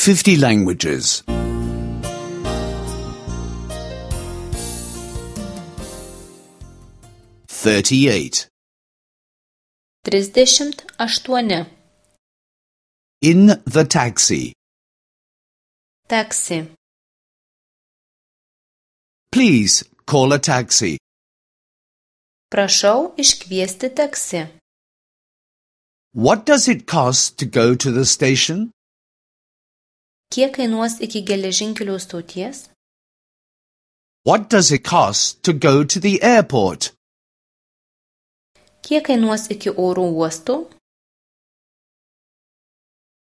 50 languages. 38. 38. In the taxi. Taksi. Please call a taxi. Prašau iškviesti taksi. What does it cost to go to the station? Kiek kainuos iki geležinkelių stoties? What does it cost to go to the airport? Kiek kainuos iki oro uosto?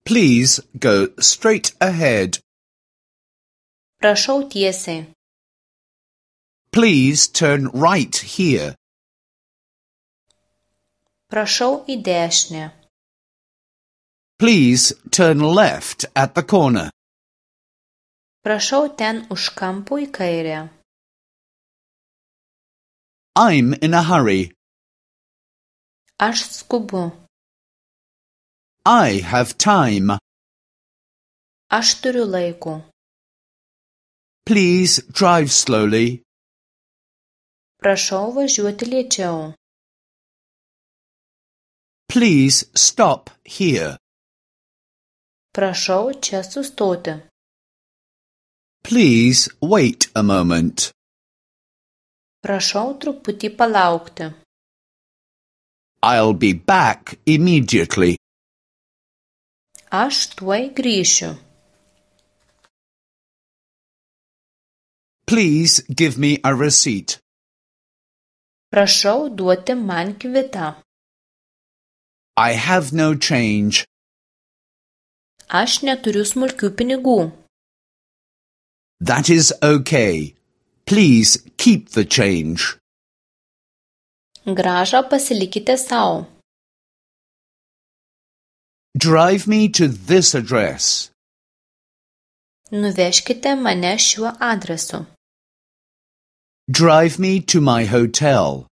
Please go straight ahead. Prašau tiesiai. Please turn right here. Prašau į dešinę. Please turn left at the corner. Prašau ten už kampo į kairę. I'm in a hurry. Aš skubu. I have time. Aš turiu laiko. Please drive slowly. Prašau važiuoti lėčiau. Please stop here. Prašau čia sustoti. Please wait a moment. Prašau truputį palaukti. I'll be back immediately. Aš tuoj grįšiu. Please give me a receipt. Prašau duoti man kvitą. I have no change. Aš neturiu smulkių pinigų. That is okay. Please keep the change. Grąžą pasilikite sau. Drive me to this address. Nuvežkite mane šiuo adresu. Drive me to my hotel.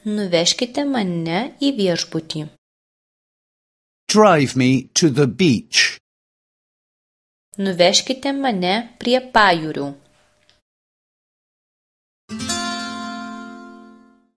Nuvežkite mane į viešbutį. Drive me to the beach. Nuvežkite mane prie pajūrių.